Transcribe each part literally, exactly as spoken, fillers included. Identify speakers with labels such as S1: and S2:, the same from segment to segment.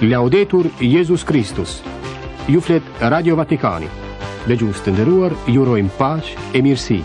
S1: Laudetur Jezus Kristus. Ju flet Radio Vatikani. Dëgjues të nderuar, ju urojmë paqe e mirësi.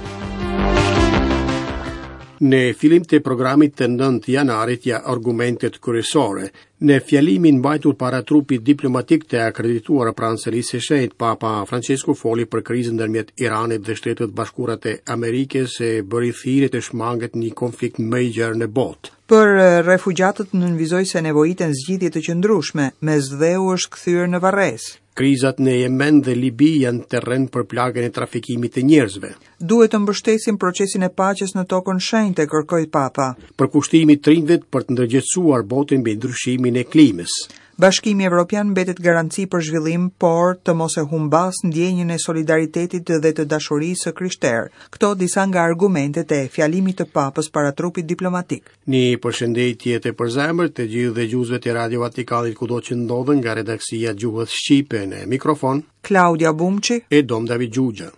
S2: Në fillim të programit të nëntë janarit ja argumentet kryesore. Në fjalimin mbajtur para trupit diplomatik të akredituar pranë Selisë së Shenjtë, Papa Francesku foli për krizën ndërmjet Iranit dhe Shtetet Bashkuara të Amerikës e bëri thirrje të shmanget një konflikt më i gjerë në botë.
S3: Për refugjatët nënvizoi se nevojiten zgjidhje të qëndrueshme, Mesdheu është kthyer në varrezë.
S2: Krizat në Jemen dhe Libi janë terren për plagën e trafikimit të njerëzve.
S3: Duhet të mbështesim procesin e paqes në tokën shenjte, kërkoi Papa.
S2: Përkushtimi i të për të ndërgjegjësuar botën mbi ndryshimin e klimës.
S3: Bashkimi Evropian mbetet garanci për zhvillim, por të mos e humbas ndjenjën e solidaritetit dhe të dashurisë së krishterë. Këto disa nga argumentet e fjalimit të Papës para trupit diplomatik.
S2: Një përshëndetje të përzemërt të gjithë dëgjuesve të Radio Vatikanit kudo që ndodhen nga redaksia Gjuhës Shqipe në mikrofon
S3: Klaudia Bumçi
S2: e Dom David Gjugja.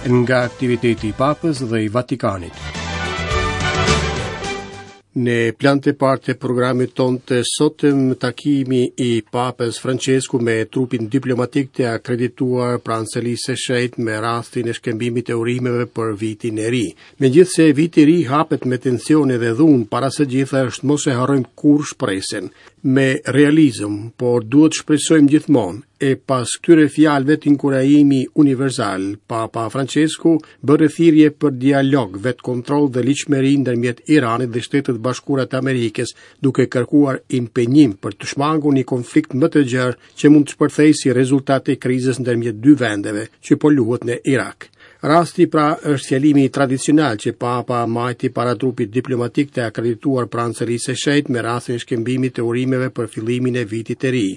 S2: Nga aktiviteti i Papës dhe i Vatikanit. Në plan të parë të programit tonë të sotëm, takimi i Papës Francesku me trupin diplomatik të akredituar pranë Selisë së Shenjtë me rastin e shkëmbimit të urimeve për vitin e ri. Megjithëse viti i ri hapet me tensione dhe dhunë, para së gjitha është mos e harrojmë kurrë shpresën. Me realizëm, por duhet shpresojmë gjithmonë. E pas këtyre fjalëve të inkurajimi universal, Papa Francesku bëri thirrje për dialog, vetkontroll dhe ligjshmëri ndërmjet Iranit dhe Shtetet Bashkuara të Amerikës, duke kërkuar impenjim për të shmangur një konflikt më të gjerë që mund të shpërthejë si rezultat i krizës ndërmjet dy vendeve që po luhet në Irak. Rasti pra është fjalimi tradicional që Papa mbajti para trupit diplomatik të akredituar pranë Selisë së Shenjtë me rastin e shkëmbimit të urimeve për fillimin e vitit të ri.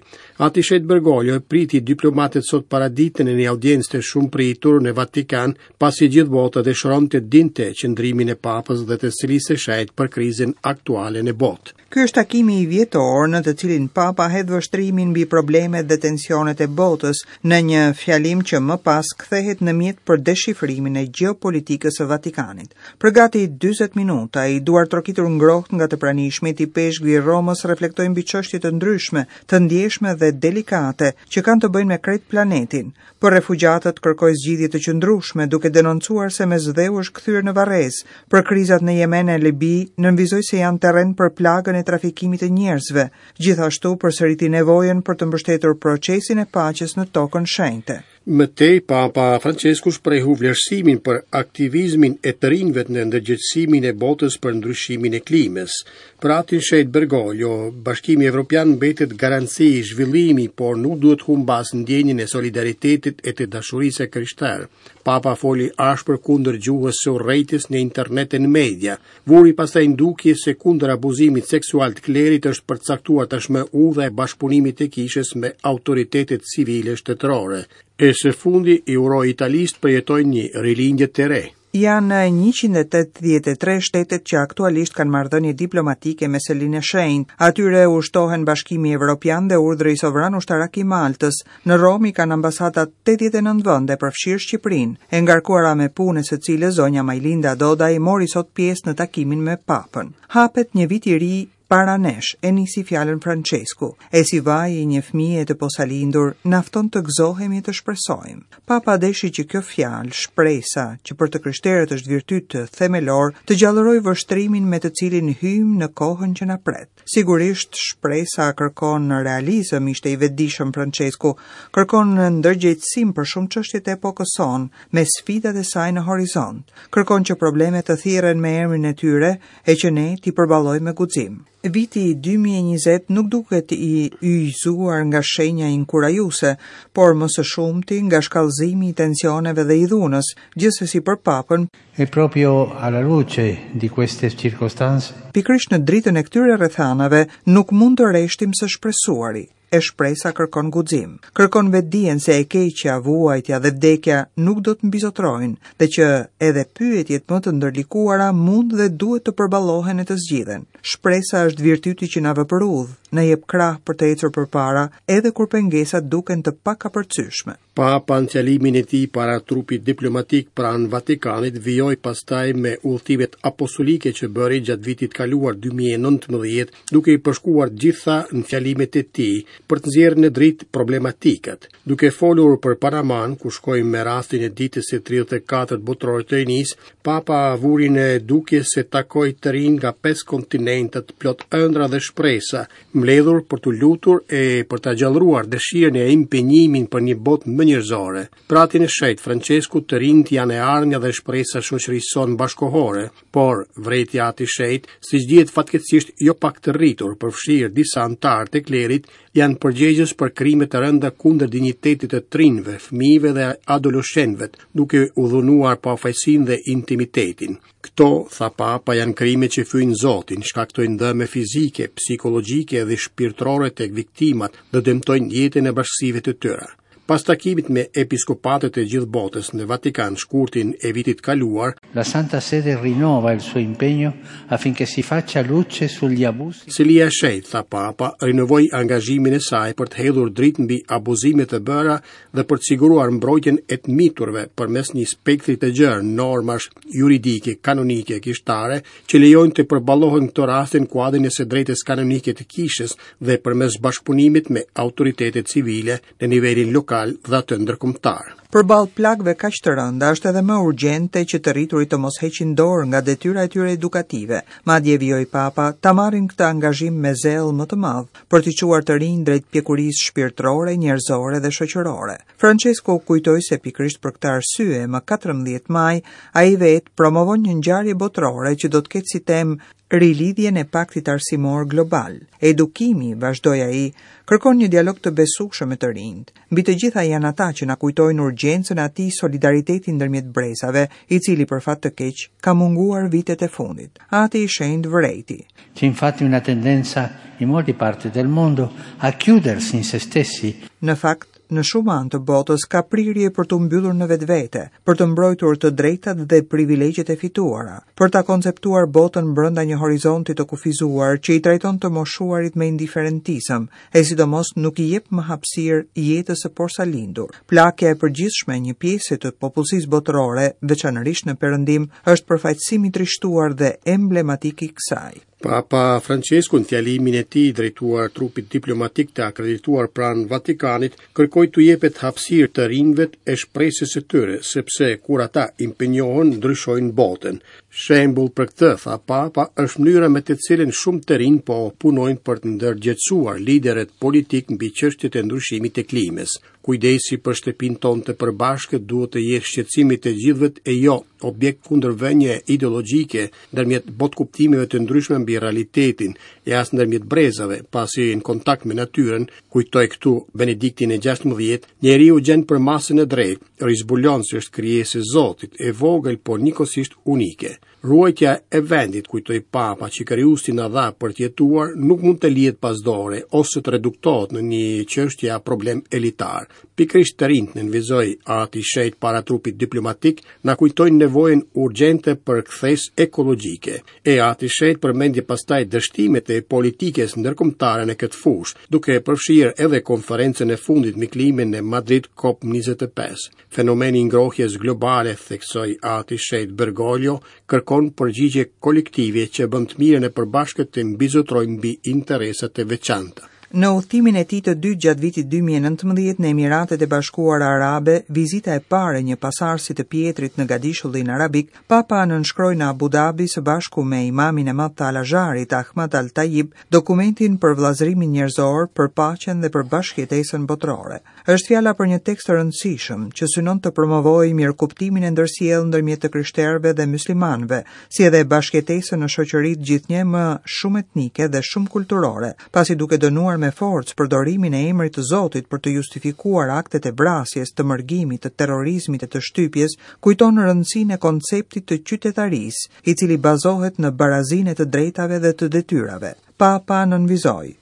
S2: Ati Shenjt Bergoglio priti diplomatët sot paradite në një audiencë të shumëpritur në Vatikan, pasi gjithë bota dëshiron të dinte qëndrimin e Papës dhe të Selisë së Shenjtë për krizën aktuale në botë.
S3: Ky është takimi i vjetor në të cilin Papa hedh vështrimin mbi problemet dhe tensionet e botës në një fjalim që më pas kthehet në mjet për deshifrimin e gjeopolitikës së Vatikanit. Për gati dyzet minuta, i duar trokitur ngrohtë nga të pranishmit, i peshkvi i Romës reflektoi mbi çështje të ndryshme, të ndjeshme dhe delikate që kanë të bëjnë me krejt planetin. Për refugjatët kërkoi zgjidhje të qëndrueshme, duke denoncuar se Mesdheu është kthyer në varrezë. Për krizat në Jemen e Libi, nënvizoi se janë terren për plagën e trafikimit të njerëzve. Gjithashtu përsëriti nevojën për të mbështetur procesin e paqes në tokën shenjte.
S2: Më tej, Papa Francesku shprehu vlerësimin për aktivizmin e të rinjve në ndërgjegjësimin e botës për ndryshimin e klimës. Për atin Shenjt Bergoglio, Bashkimi Evropian mbetet garanci zhvillimi, por nuk duhet humbas ndjenjën e solidaritetit e të dashurisë së krishterë. Papa foli ashpër kundër gjuhës së urrejtjes në internet e në media. Vuri pastaj në dukje se kundër abuzimit seksual të klerit është përcaktuar tashmë udha e bashkëpunimit të kishës me autoritetet civile shtetërore. E së fundi i uroi Italisë të përjetojë një rilindje të re.
S3: Janë njëqind e tetëdhjetë e tre shtetet që aktualisht kanë marrëdhënie diplomatike me Selinë e Shenjtë. Atyre u shtohen Bashkimi Evropian dhe Urdhri Sovran Ushtarak i Maltës. Në Romë i kanë ambasadat tetëdhjetë e nëntë vende, përfshirë Shqipërinë, e ngarkuara me punë e së cilës zonja Majlinda Dodaj mori sot pjesë në takimin me Papën. Hapet një vit i ri para nesh, e nisi fjalën Francesku, e si vaji i një fëmije të posalindur, na fton të gëzohemi e të shpresojmë. Papa deshi që kjo fjalë, shpresa, që për të krishterët është virtyt themelor, të gjallërojë vështrimin me të cilin hyjmë në kohën që na pret. Sigurisht, shpresa kërkon realizëm, ishte i vetëdijshëm Francesku, kërkon ndërgjegjësim për shumë çështje të epokës sonë, me sfidat e saj në horizont. Kërkon që problemet të thirren me emrin e tyre e që ne t'i përballojmë me guxim. Viti dy mijë e njëzet nuk duket i yjëzuar nga shenja inkurajuese, por më së shumti nga shkallëzimi i tensioneve dhe i dhunës, gjithsesi për Papën.
S4: E proprio alla luce di queste circostanze,
S3: pikërisht në dritën e këtyre rrethanave nuk mund të reshtim së shpresuari. E shpresa kërkon guxim, kërkon vetdijen se e keqja, vuajtja dhe vdekja nuk do të mbizotrojnë dhe që edhe pyetjet më të ndërlikuara mund dhe duhet të përballohen e të zgjidhen. Shpresa është virtyti që na vë për udhë, Na jep krah për të ecur përpara, edhe kur pengesat duken të pakapërcyeshme.
S2: Papa në fjalimin e tij para trupit diplomatik pranë Vatikanit vijoi pastaj me udhëtimet apostolike që bëri gjatë vitit kaluar dy mijë e nëntëmbëdhjetë, duke i përshkuar gjitha në fjalimet e tij për të nxjerrë në dritë problematikat. Duke folur për Panaman, ku shkoi me rastin e ditës së tridhjetë e katërt botërore të rinisë, Papa vuri në dukje se takoi të rinj nga pesë kontinentet plot ëndra dhe shpresa, mbledhur për t'u lutur e për ta gjallëruar dëshirën e impenjimin për një botë më njerëzore. Për Atin e Shenjtë Francesku, të rinjt janë e ardhmja dhe shpresa shoqërisë sonë bashkohore, por vërejti Ati i Shenjtë, siç dihet fatkeqësisht jo pak të rritur, përfshirë disa anëtarë të klerit, janë përgjegjës për krime të rënda kundër dinjitetit të të rinjve, fëmijëve dhe adoleshentëve, duke u dhunuar pafajsinë dhe intimitetin. Këto, tha Papa, janë krime që fyjnë Zotin, shkaktojnë dëme fizike, psikologjike dhe shpirtërore tek viktimat dhe dëmtojnë jetën e bashkësive të tyre. Pas takimit me episkopatët e gjithë botës në Vatikan shkurtin e vitit kaluar,
S4: La Santa Sede rinnova il suo impegno affinché si faccia luce sugli abusi.
S2: Selia e Shenjtë, tha Papa, rinovoi angazhimin e saj për të hedhur dritë mbi abuzimet e bëra dhe për të siguruar mbrojtjen e të miturve përmes një spektri të gjerë normash juridike, kanonike, kishtare që lejojnë të përballohen këto raste në kuadrin e së drejtës kanonike të kishës dhe përmes bashkëpunimit me autoritetet civile në nivelin lokal dhe atë ndërkombëtar.
S3: Përballë plagëve kaq të rënda është edhe më urgjente që të rriturit të mos heqin dorë nga detyra e tyre edukative. Madje vijoi Papa ta marrin këtë angazhim me zell më të madh për t'i çuar të rinj drejt pjekurisë shpirtërore, njerëzore dhe shoqërore. Francesco kujtoi se pikërisht për këtë arsye, më katërmbëdhjetë maj, ai vetë promovon një ngjarje botërore që do të ketë si temë rilidhjen e paktit arsimor global. Edukimi, vazhdoi ai, kërkon një dialog të besueshëm me të rinjt. Mbi të gjitha janë ata që na kujtojnë urgjencën e atij solidariteti ndërmjet brezave, i cili për fat të keq ka munguar vitet e fundit. Ati i Shenjtë vërejti.
S4: C'è infatti una tendenza in molte parti del mondo a chiudersi in se stessi.
S3: Në fakt, në shumë anë të botës ka prirje për t'u mbyllur në vetvete, për të mbrojtur të drejtat dhe privilegjet e fituara, për ta konceptuar botën brenda një horizonti të kufizuar që i trajton të moshuarit me indiferentizëm, e sidomos nuk i jep më hapësirë jetës së porsalindur. Plakja e përgjithshme e një pjese të popullsisë botërore, veçanërisht në perëndim, është përfaqësim i trishtuar dhe emblematik i kësaj.
S2: Papa Francesco në fjalimin e tij drejtuar trupit diplomatik të akredituar pranë Vatikanit, kërkoi t'u jepet hapësirë të rinjve e shpresës së tyre, sepse kur ata impenjohen, ndryshojnë botën. Shembull për këtë, tha Papa, është mënyra me të cilën shumë të rinj po punojnë për të ndërgjegjësuar liderët politik mbi çështjet e ndryshimit të klimës. Kujdesi për shtëpinë tonë të përbashkët duhet të jetë shqetësimi të gjithëve e jo objekt kundërvënie ideologjike ndërmjet botkuptimeve të ndryshme mbi realitetin e as ndërmjet brezave, pasi në kontakt me natyrën, kujtoi këtu Benediktin e gjashtëmbëdhjetë, njeriu gjen përmasën e drejtë, rizbulon se është krijesë e Zotit, e vogël por njëkohësisht unike. Ruajtja e vendit, kujtoi Papa, që Krijuesi na dha për të jetuar, nuk mund të lihet pas dore ose të reduktohet në një çështje a problem elitar. Pikërisht të rinjt, nënvizoi Ati i Shenjtë para trupit diplomatik, na kujtojnë nevojën urgjente për kthesë ekologjike. E Ati i Shenjtë përmendi pastaj dështimet e politikës ndërkombëtare në këtë fushë, duke përfshirë edhe konferencën e fundit mbi klimën në Madrid COP njëzet e pesë. Fenomeni i ngrohjes globale, theksoi Ati i Shenjtë Bergoglio, kërkon përgjigje kolektive që bën të mirën e përbashkët të mbizotrojë mbi interesat e veçanta.
S3: Në udhëtimin e tij të dytë gjatë vitit dy mijë e nëntëmbëdhjetë në Emiratet e Bashkuara Arabe, vizita e parë e një pasardhësi të Pietrit në Gadishullin Arabik, Papa nënshkroi në Abu Dhabi së bashku me imamin e madh të Al-Azharit, Ahmad Al-Tayyib, dokumentin për vëllazërimin njerëzor, për paqen dhe për bashkëjetesën botërore. Është fjala për një tekst të rëndësishëm që synon të promovojë mirëkuptimin e ndërsjellë ndërmjet të krishterëve dhe muslimanëve, si edhe bashkëjetesën në shoqëritë gjithnjë më shumë etnike dhe shumë kulturore, pasi duke dënuar me forcë përdorimin e emrit të Zotit për të justifikuar aktet e vrasjes, të mërgimit, të terrorizmit e të shtypjes, kujton rëndësinë e konceptit të qytetarisë, i cili bazohet në barazinë e të drejtave dhe të detyrave. Papa nënvizoi: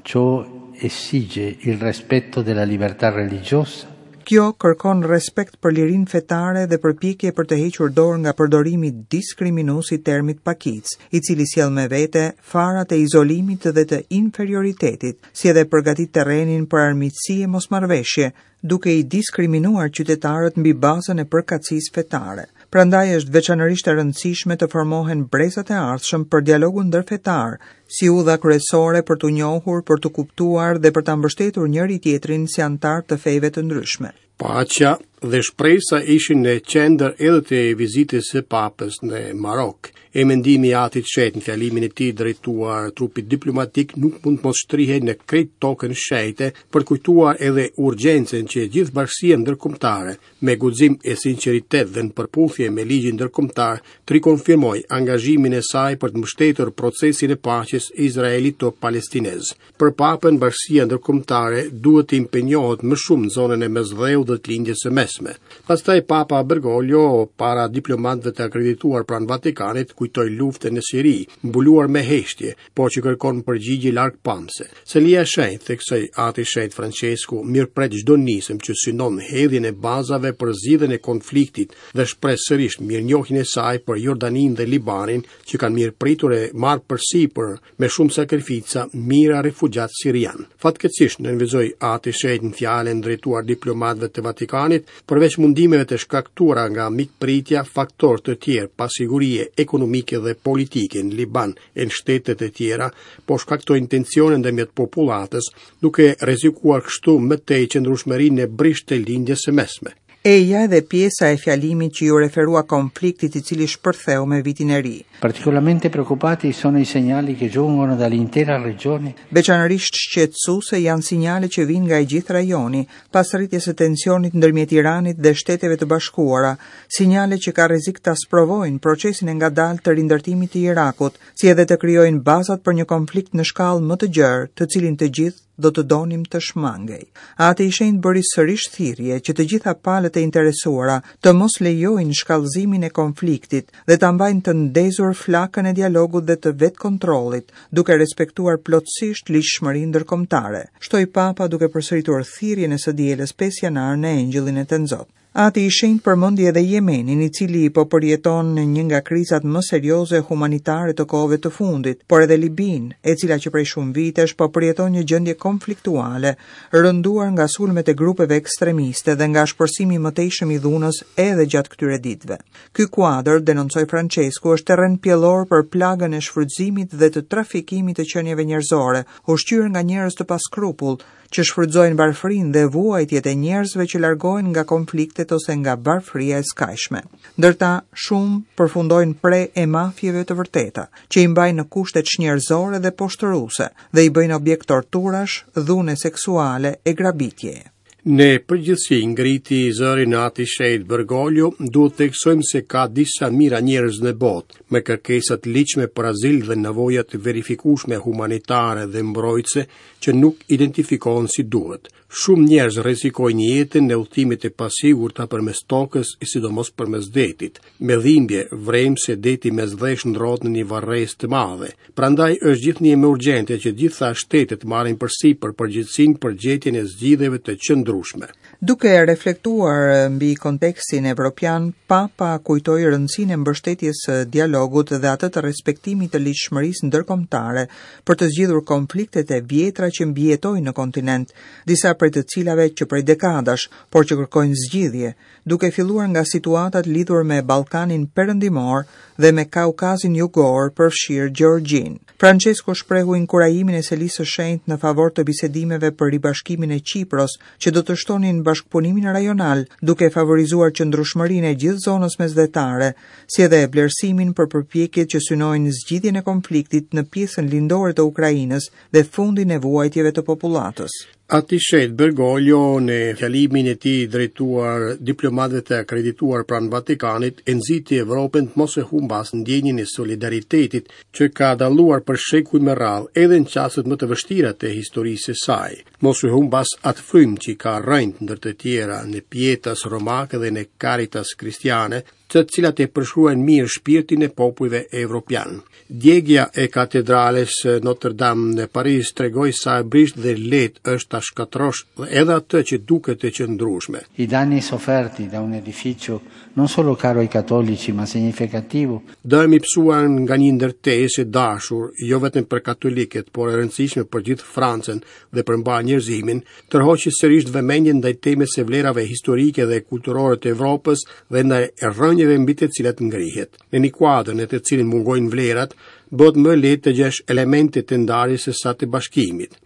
S4: Ciò esige il rispetto della libertà religiosa,
S3: Kjo kërkon respekt për lirinë fetare dhe përpjekje për të hequr dorë nga përdorimi diskriminues i termit pakicë, i cili sjell me vete farat e izolimit dhe të inferioritetit, si edhe përgatit terrenin për armiqësi e mosmarrëveshje, duke i diskriminuar qytetarët mbi bazën e përkatësisë fetare. Prandaj është veçanërisht e rëndësishme të formohen brezat e ardhshëm për dialogun ndërfetar, si udha kryesore për t'u njohur, për t'u kuptuar dhe për ta mbështetur njëri tjetrin si anëtar të fejve të ndryshme.
S2: Paqja dhe shpresa ishin në qendër edhe të vizitës së Papës në Marok. E mendimi i Atit Shenjt në fjalimin e tij drejtuar trupit diplomatik nuk mund të mos shtrihej në krejt tokën shenjte për të kujtuar edhe urgjencën që gjithë bashkësia ndërkombëtare me guxim e sinqeritet dhe në përputhje me ligjin ndërkombëtar të rikonfirmoi angazhimin e saj për të mbështetur procesin e paqes izraelito-palestinez. Për Papën, bashkësia ndërkombëtare duhet të impenjohet më shumë në zonën e Mesdheut dhe të Lindjes së Mesme. Pastaj Papa Bergoglio, para diplomatëve të akredituar pranë Vatikanit, kujtoi luftën në Siri, mbuluar me heshtje, por që kërkon përgjigje largpamse. Selia e Shenjtë, theksoi Ati Shenjt Francesku, mirëpret çdo nisëm që synon hedhjen e bazave për zgjidhjen e konfliktit dhe shpreh sërish mirënjohjen e saj për Jordaninë dhe Libanin, që kanë mirëpritur e marrë përsipër me shumë sakrifica mijëra refugjat sirian. Fatkeqësisht, nënvizoi Ati Shenjt në fjalën drejtuar diplomatëve të Vatikanit, përveç mundimeve të shkaktuara nga mikpritja, faktorë të tjerë pasigurie ekonomike dhe politike në Liban e në shtetet e tjera po shkaktojnë tensione ndërmjet popullatës, duke rrezikuar kështu më tej qëndrueshmërinë e brishtë të Lindjes së Mesme.
S3: Eja edhe pjesa e fjalimit që ju referua konfliktit i cili shpërtheu me vitin e ri.
S4: Particolarmente preoccupati sono i segnali che giungono dall'intera regione.
S3: Veçanërisht shqetësuese janë sinjale që vijnë nga i gjithë rajoni, pas rritjes së tensionit ndërmjet Iranit dhe Shteteve të Bashkuara, sinjale që ka rrezik ta sprovojnë procesin e ngadaltë të rindërtimit të Irakut, si edhe të krijojnë bazat për një konflikt në shkallë më të gjerë, të cilin të gjithë do të donim të shmangej. Ati i Shenjtë bëri sërish thirrje që të gjitha palët e interesuara të mos lejojnë shkallëzimin e konfliktit dhe ta mbajnë të ndezur flakën e dialogut dhe të vetkontrollit, duke respektuar plotësisht ligjshmërinë ndërkombëtare, shtoi Papa duke përsëritur thirrjen e së dielës pesë janar në Engjëllin e Tenzot. Ati i Shenjtë përmendi edhe Jemenin, i cili po përjeton në një nga krizat më serioze humanitare të kohëve të fundit, por edhe Libinë, e cila që prej shumë vitesh po përjeton një gjendje konfliktuale, rënduar nga sulmet e grupeve ekstremiste dhe nga shpërsimi i mëtejshëm i dhunës edhe gjatë këtyre ditëve. Ky kuadër, denoncoi Francesku, është terren pjellor për plagën e shfrytëzimit dhe të trafikimit të qenieve njerëzore, ushqyer nga njerëz të paskrupull, që shfrytëzojnë varfërinë dhe vuajtjet e njerëzve që largohen nga konfliktet ose nga varfëria e skajshme. Ndërta shumë përfundojnë pre e mafjeve të vërteta, që i mbajnë në kushte çnjerëzore dhe poshtëruese dhe i bëjnë objekt torturash, dhune seksuale e grabitjeje.
S2: Në përgjithësi ngriti zërin Ati Shenjt Bergoglio, duhet të theksojmë se ka disa mijëra njerëz në botë me kërkesa të ligjshme për azil dhe nevoja të verifikueshme humanitare dhe mbrojtëse që nuk identifikohen si duhet. Shumë njerëz rrezikojnë jetën në udhëtimet e pasigurta përmes tokës e sidomos përmes detit. Me dhimbje vrejmë se deti Mesdhe shndrohet në një varrezë të madhe. Prandaj është gjithnjë më urgjente që gjitha shtetet marrin përsipër përgjegjësinë për gjetjen e zgjidhjeve të qëndrueshme.
S3: Duke reflektuar mbi kontekstin evropian, Papa kujtoi rëndësinë e mbështetjes së dialogut dhe atë të respektimit të ligjshmërisë ndërkombëtare për të zgjidhur konfliktet e vjetra që mbijetojnë në kontinent, disa prej të cilave që prej dekadash, por që kërkojnë zgjidhje, duke filluar nga situatat lidhur me Ballkanin Perëndimor dhe me Kaukazin Jugor, përfshirë Gjeorgjinë. Francesco shprehu inkurajimin e Selisë së Shenjtë në favor të bisedimeve për ribashkimin e Qipros, që do të shtonin bashkëpunimin rajonal, duke favorizuar qëndrueshmërinë e gjithë zonës mesdhetare, si edhe vlerësimin për përpjekjet që synojnë zgjidhjen e konfliktit në pjesën lindore të Ukrainës dhe fundin e vuajtjeve të popullatës.
S2: Ati Shenjt Bergoglio në fjalimin e tij drejtuar diplomatëve të akredituar pranë Vatikanit e nxiti Evropën të mos e humbas ndjenjën e solidaritetit që ka dalluar për shekuj me radhë edhe në çastet më të vështira të historisë së saj. Mos e humbas atë frymë që ka rrënjë ndër të tjera në pietas romake dhe në caritas kristiane, të cilat e përshkruajnë mirë shpirtin e popujve evropian. Djegia e katedrales Notre Dame në Paris tregoi sa e brishtë dhe lehtë është ta shkatërrosh edhe atë që duket e qëndrueshme.
S4: I danni sofferti da un edificio non solo caro ai cattolici, ma significativo.
S2: Dëmi pësuar nga një ndërtesë e dashur, jo vetëm për katolikët, por e rëndësishme për gjithë Francën dhe për mbarë njerëzimin, tërhoqi sërish vëmendjen ndaj temës së vlerave historike dhe kulturore të Evropës dhe ndaj rrënjëve mbi të cilat ngrihet. Në një kuadër në të cilin mungojnë vlerat, bëhet më lehtë të gjesh elemente të ndarjes se sa të bashkimit.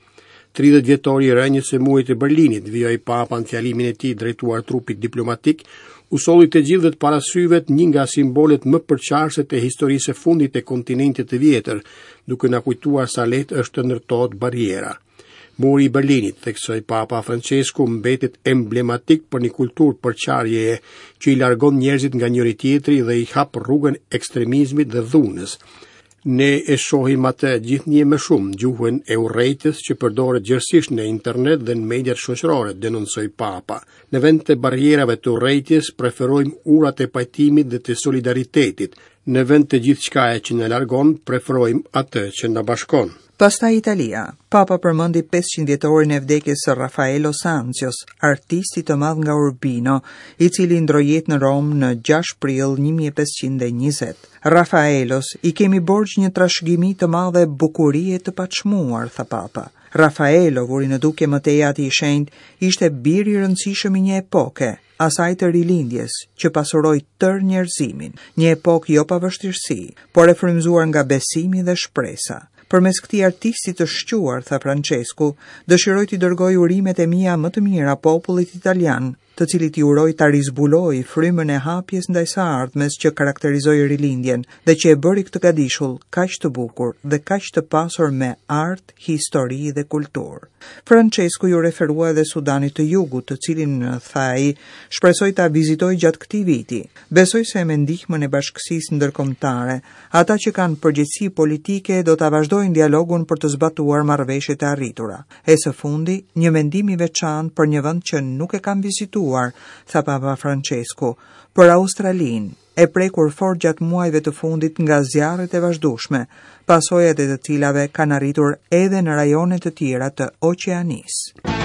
S2: tridhjetë vjetori i rënjes së murit të Berlinit, vijoi Papa në fjalimin e tij drejtuar trupit diplomatik, u solli të gjithëve të para syve një nga simbolet më përçarëse të historisë së fundit të kontinentit të vjetër, duke na kujtuar sa lehtë është të ndërtohet barriera. Muri i Berlinit, theksoi Papa Francesku, mbetet emblematik për një kulturë përçarjeje që i largon njerëzit nga njëri tjetri dhe i hap rrugën ekstremizmit dhe dhunës. Ne e shohim atë gjithnjë më shumë gjuhën e urrejtjes që përdoret gjerësisht në internet dhe në mediat shoqërore, denoncoi Papa. Në vend të barrierave të urrejtjes, preferojmë urat e pajtimit dhe të solidaritetit. Në vend të gjithçkaje që na largon, preferojmë atë që na bashkon.
S3: Pastaj Italia. Papa përmendi pesëqind vjetorin e vdekjes së Raffaello Sanzios, artistit të madh nga Urbino, i cili ndroi jetë në Romë në gjashtë prill një mijë e pesëqind e njëzet. Raffaellos i kemi borxh një trashëgimi të madhe bukurie të paçmuar, tha Papa. Raffaello vuri në dukje më tej ati i shenjtë, ishte bir i rëndësishëm i një epoke, asaj të rilindjes, që pasuroi tërë njerëzimin, një epokë jo pa vështirësi, por e frymëzuar nga besimi dhe shpresa. Përmes këtij artisti të shquar, tha Francesku, dëshiroj t'i dërgoj urimet e mia më të mira popullit italian, të cilit i uroj ta rizbuloj frymën e hapjes ndaj së ardhmes që karakterizoi rilindjen dhe që e bëri këtë gadishull kaq të bukur dhe kaq të pasur me art, histori dhe kulturë. Francesku ju referua edhe Sudanit të Jugut, të cilin, tha ai, shpresoj ta vizitoj gjatë këtij viti. Besoj se me ndihmën e bashkësisë ndërkombëtare, ata që kanë përgjegjësi politike do ta vazhdojnë dialogun për të zbatuar marrëveshjet e arritura. E së fundi, një mendim i veçantë për një vend që nuk e kam vizituar, tha Papa Francesku, për Australinë, e prekur fort gjatë muajve të fundit nga zjarret e vazhdueshme, pasojat e të cilave kanë arritur edhe në rajone të tjera të Oqeanisë.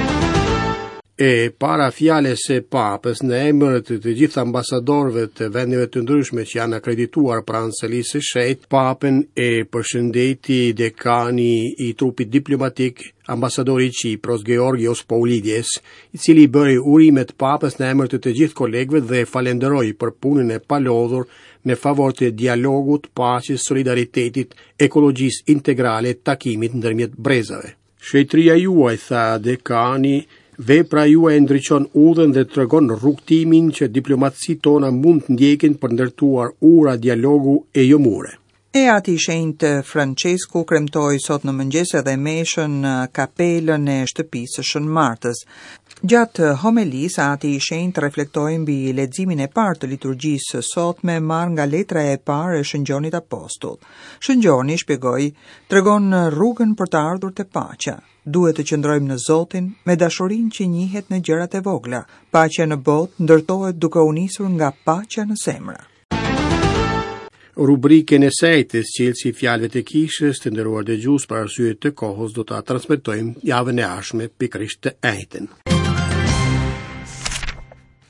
S2: E para fjalës së Papës në emër të të gjithë ambasadorëve të vendeve të ndryshme që janë akredituar pranë selisë së shenjtë, Papën e përshëndeti dekani i trupit diplomatik, ambasadori i Qipros Georgios Paulides, i cili bëri urimet Papës në emër të të gjithë kolegëve dhe falenderoi për punën e palodhur në favor të dialogut, paqes, solidaritetit, ekologjisë integrale, takimit ndërmjet brezave. Shenjtëria juaj, tha dekani, vepra juaj ndriçon udhën dhe tregon rrugtimin që diplomacitë tona mund të ndjekin për ndërtuar ura dialogu e jo mure.
S3: E ati i shenjtë Francesku kremtoi sot në mëngjes edhe meshën në kapelën e shtëpisë së Shën Martës. Gjatë homelisë, ati i shenjtë reflektoi mbi leximin e parë të liturgjisë së sotme marrë nga letra e parë e Shën Gjonit Apostull. Shën Gjoni shpjegoi, tregon rrugën për të ardhur te paqja. Duhet të qëndrojmë në Zotin me dashurinë që njihet në gjërat e vogla. Paqja në botë ndërtohet duke u nisur nga paqja në zemra.
S2: Rubrikën e sejtës, çelësi i fjalëve të kishës, të nderuar dëgjues, për arsye të kohës do ta transmetojmë javën e ardhshme, pikërisht të enjten.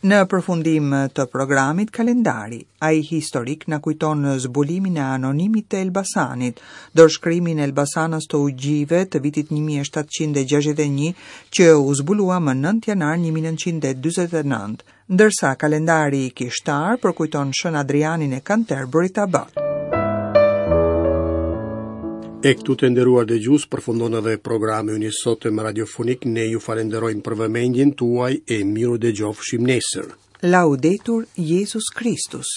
S3: Në përfundim të programit, kalendari, ai historik na kujton zbulimin e anonimit të Elbasanit, dorëshkrimin e Elbasanës të Ugjive të vitit një mijë e shtatëqind e gjashtëdhjetë e një që u zbulua më nëntë janar një mijë e nëntëqind e dyzet e nëntë, ndërsa kalendari kishtar përkujton Shën Adrianin e Canterbury Abat.
S2: E këtu të nderuar dëgjues përfundon edhe programi ynë i sotëm radiofonik. Ne ju falenderojmë për vëmendjen tuaj e miru dëgjofshim nesër.
S3: Laudetur Jezus Christus.